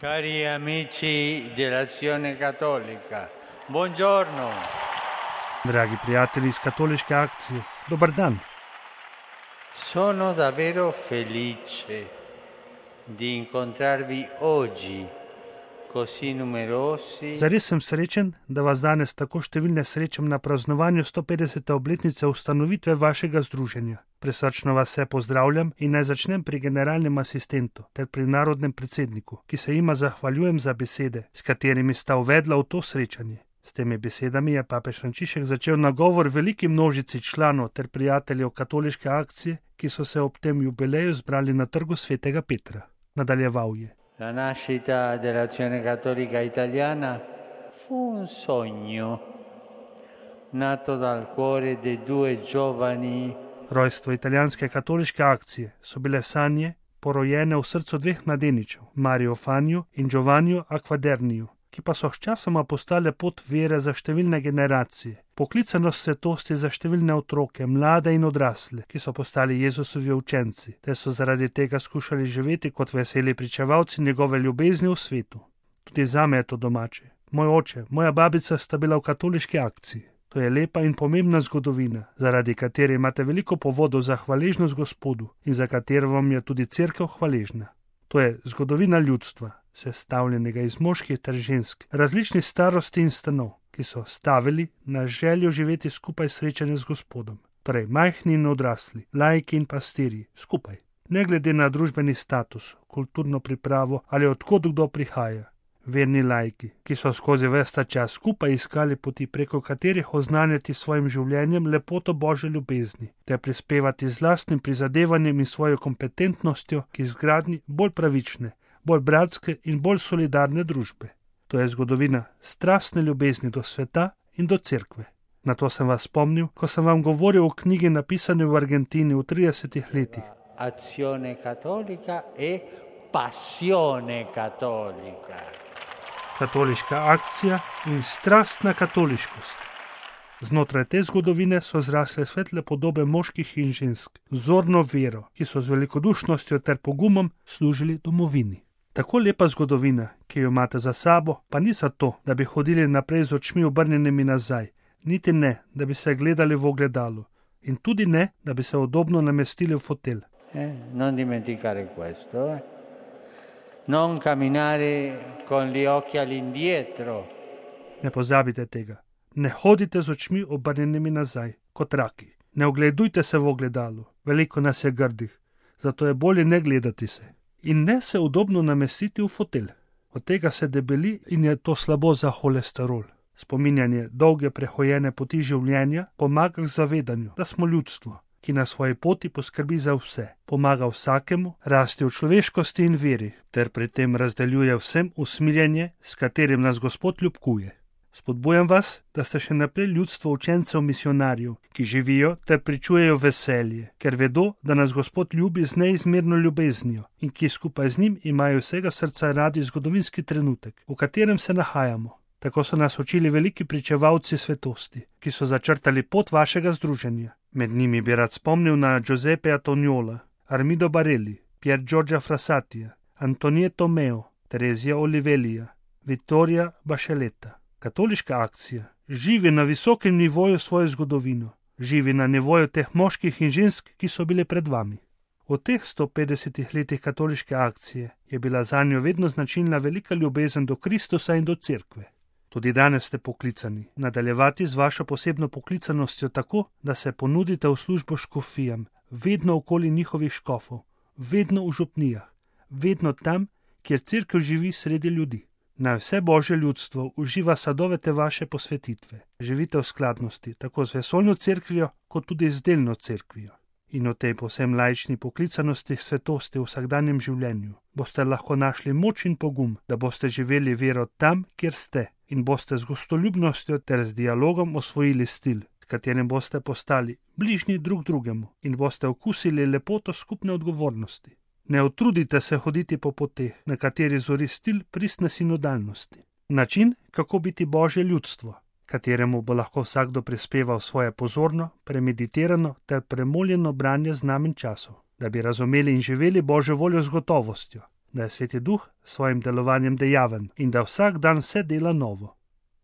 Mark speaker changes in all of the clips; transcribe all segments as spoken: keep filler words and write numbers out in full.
Speaker 1: Cari amici dell'Azione Cattolica, buongiorno.
Speaker 2: Dragi prijatelji iz katoliške akcije, dober dan.
Speaker 1: Sono davvero felice di incontrarvi oggi, così numerosi.
Speaker 2: Zares sem srečen, da vas danes tako številne srečam na praznovanju sto petdesete obletnice ustanovitve vašega združenja. Presrčno vas vse pozdravljam in naj začnem pri generalnem asistentu ter pri narodnem predsedniku, ki se jima zahvaljujem za besede, s katerimi sta uvedla v to srečanje. S temi besedami je papež Frančišek začel nagovor veliki množici članov ter prijateljev katoliške akcije, ki so se ob tem jubileju zbrali na trgu svetega Petra. Nadaljeval je.
Speaker 1: La nascita dell'Azione Cattolica Italiana fu un sogno nato dal cuore dei due giovani.
Speaker 2: Rojstvo italijanske katoliške akcije so bile sanje, porojene v srcu dveh mladeničev, Mario Fanju in Giovanniu Acquaderniju, ki pa so sčasoma postale pot vere za številne generacije, poklicanost svetosti za številne otroke, mlade in odrasle, ki so postali Jezusovi učenci, ter so zaradi tega skušali živeti kot veseli pričevalci njegove ljubezni v svetu. Tudi zame je to domače. Moj oče, moja babica sta bila v katoliški akciji. To je lepa in pomembna zgodovina, zaradi katere imate veliko povodov za hvaležnost Gospodu in za katero vam je tudi cerkev hvaležna. To je zgodovina ljudstva, sestavljenega iz moških ter žensk, različnih starosti in stanov, ki so stavili na željo živeti skupaj srečanje z Gospodom. Torej, majhni in odrasli, laiki in pastirji, skupaj. Ne glede na družbeni status, kulturno pripravo ali odkot kdo prihaja. Verni laiki, ki so skozi ves ta čas skupaj iskali poti, preko katerih oznanjati svojim življenjem lepoto Božje ljubezni, ter prispevati z lastnim prizadevanjem in svojo kompetentnostjo k izgradnji bolj pravične, bolj bratske in bolj solidarne družbe. To je zgodovina strastne ljubezni do sveta in do cerkve. Na to sem vas spomnil, ko sem vam govoril o knjigi napisani v Argentini v tridesetih letih.
Speaker 1: Azione Cattolica e Passione Cattolica.
Speaker 2: Katoliška akcija in strastna katoliškost. Znotraj te zgodovine so zrasle svetle podobe moških in žensk, vzorno vero, ki so z velikodušnostjo ter pogumom služili domovini. Tako lepa zgodovina, ki jo imate za sabo, pa ni zato, da bi hodili naprej z očmi obrnjenimi nazaj, niti ne, da bi se gledali v ogledalo, in tudi ne, da bi se udobno namestili v fotelj.
Speaker 1: Eh, non dimenticare questo, eh. Non camminare con gli occhi all'indietro.
Speaker 2: Ne pozabite tega. Ne hodite z očmi obrnjenimi nazaj, kot raki. Ne ogledujte se v ogledalo. Veliko nas je grdih, zato je bolje ne gledati se. In ne se udobno namestiti v fotelj. Od tega se debeli in je to slabo za holesterol. Spominjanje dolge prehojene poti življenja pomaga k zavedanju, da smo ljudstvo, ki na svoji poti poskrbi za vse, pomaga vsakemu rasti v človeškosti in veri, ter pri tem razdeljuje vsem usmiljenje, s katerim nas Gospod ljubkuje. Spodbujam vas, da ste še naprej ljudstvo učencev misionarjev, ki živijo ter pričujejo veselje, ker vedo, da nas Gospod ljubi z neizmerno ljubeznijo in ki skupaj z njim imajo vsega srca radi zgodovinski trenutek, v katerem se nahajamo. Tako so nas učili veliki pričevalci svetosti, ki so začrtali pot vašega združenja. Med njimi bi rad spomnil na Giuseppe Antoniola, Armido Barelli, Pier Giorgia Frassatija, Antonieto Meo, Terezija Olivelija, Vittoria Bacheletта. Katoliška akcija živi na visokem nivoju svojo zgodovino, živi na nivoju teh moških in žensk, ki so bili pred vami. V teh sto petdesetih letih katoliške akcije je bila zanjo vedno značilna velika ljubezen do Kristusa in do cerkve. Tudi danes ste poklicani nadaljevati z vašo posebno poklicanostjo tako, da se ponudite v službo škofijam, vedno okoli njihovih škofov, vedno v župnijah, vedno tam, kjer cerkev živi sredi ljudi. Naj vse Božje ljudstvo uživa sadove te vaše posvetitve. Živite v skladnosti, tako z vesoljno cerkvijo, kot tudi z delno cerkvijo. In v tej povsem laični poklicanosti svetosti v vsakdanjem življenju boste lahko našli moč in pogum, da boste živeli vero tam, kjer ste, in boste z gostoljubnostjo ter z dialogom osvojili stil, s katerim boste postali bližnji drug drugemu in boste okusili lepoto skupne odgovornosti. Ne utrudite se hoditi po poteh, na kateri zori stil pristne sinodalnosti. Način, kako biti Božje ljudstvo, kateremu bo lahko vsakdo prispeval svoje pozorno, premeditirano ter premoljeno branje znamen časov, da bi razumeli in živeli Božjo voljo z gotovostjo, da je Sveti Duh s svojim delovanjem dejaven in da vsak dan vse dela novo.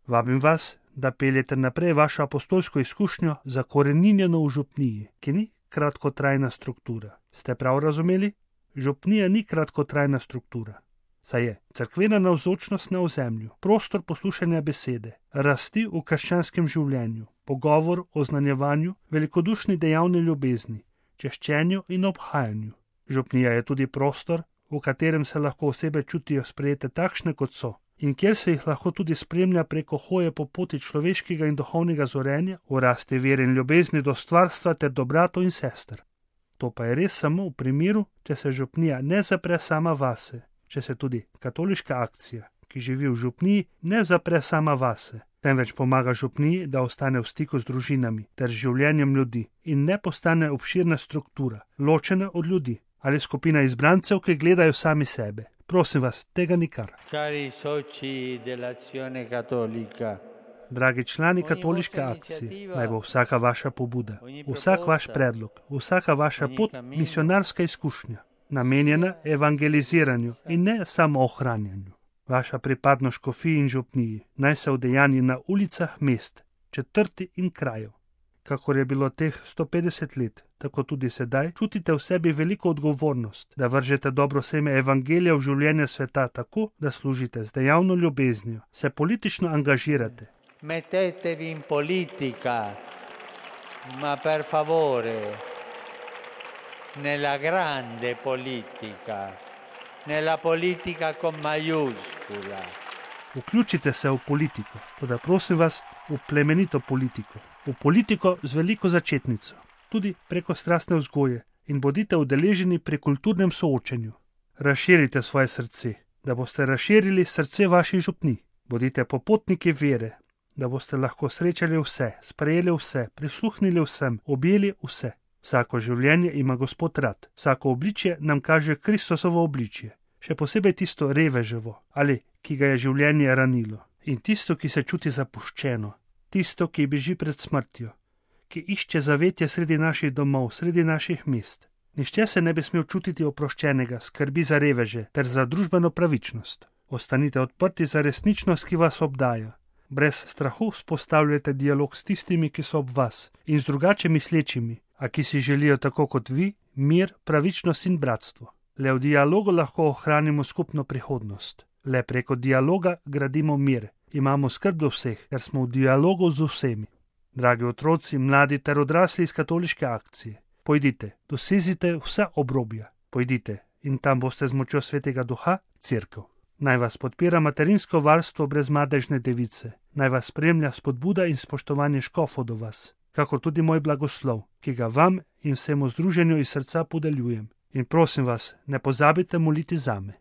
Speaker 2: Vabim vas, da peljete naprej vašo apostolsko izkušnjo zakoreninjeno v župniji, ki ni kratkotrajna struktura. Ste prav razumeli? Župnija ni kratkotrajna struktura. Saj je cerkvena navzočnost na ozemlju, prostor poslušanja besede, rasti v krščanskem življenju, pogovor o znanjevanju, velikodušni dejavni ljubezni, češčenju in obhajanju. Župnija je tudi prostor, v katerem se lahko osebe čutijo sprejete takšne, kot so, in kjer se jih lahko tudi spremlja preko hoje po poti človeškega in duhovnega zorenja, v rasti vere in ljubezni do stvarstva ter do bratov in sester. To pa je res samo v primeru, če se župnija ne zapre sama vase, če se tudi katoliška akcija, ki živi v župniji, ne zapre sama vase, temveč pomaga župniji, da ostane v stiku z družinami ter življenjem ljudi in ne postane obširna struktura, ločena od ljudi ali skupina izbrancev, ki gledajo sami sebe. Prosim vas, tega nikar.
Speaker 1: Cari soci dell'azione cattolica,
Speaker 2: Dragi člani katoliške akcije, naj bo vsaka vaša pobuda, vsak vaš predlog, vsaka vaša pot misionarska izkušnja, namenjena evangeliziranju in ne samo ohranjanju. Vaša pripadnost škofiji in župniji naj se udejanji na ulicah mest, četrti in krajev. Kakor je bilo teh sto petdeset let, tako tudi sedaj čutite v sebi veliko odgovornost, da vržete dobro seme evangelija v življenje sveta tako, da služite z dejavno ljubeznijo, se politično angažirate.
Speaker 1: Mettetevi in politica, ma per favore, nella grande politica, nella politica con maiuscola.
Speaker 2: Vključite se v politiko, toda prosim vas, v plemenito politiko, v politiko z veliko začetnico, tudi preko strastne vzgoje in bodite udeleženi pri kulturnem soočenju. Razširite svoje srce, da boste razširili srce vaših župnij. Bodite popotniki vere, da boste lahko srečali vse, sprejeli vse, prisluhnili vsem, objeli vse. Vsako življenje ima Gospod rad, vsako obličje nam kaže Kristusovo obličje, še posebej tisto reveževo ali ki ga je življenje ranilo, in tisto, ki se čuti zapuščeno, tisto, ki beži pred smrtjo, ki išče zavetje sredi naših domov, sredi naših mest. Nihče se ne bi smel čutiti oproščenega, skrbi za reveže ter za družbeno pravičnost. Ostanite odprti za resničnost, ki vas obdaja. Brez strahu vzpostavljajte dialog s tistimi, ki so ob vas, in z drugače mislečimi, a ki si želijo tako kot vi, mir, pravičnost in bratstvo. Le v dialogu lahko ohranimo skupno prihodnost. Le preko dialoga gradimo mir, imamo skrb do vseh, ker smo v dialogu z vsemi. Dragi otroci, mladi ter odrasli iz katoliške akcije, pojdite, dosezite vsa obrobja, pojdite in tam boste z močjo Svetega Duha cerkev. Naj vas podpira materinsko varstvo brez madežne device, naj vas spremlja spodbuda in spoštovanje škofov do vas, kakor tudi moj blagoslov, ki ga vam in vsemu združenju iz srca podeljujem. In prosim vas, ne pozabite moliti zame.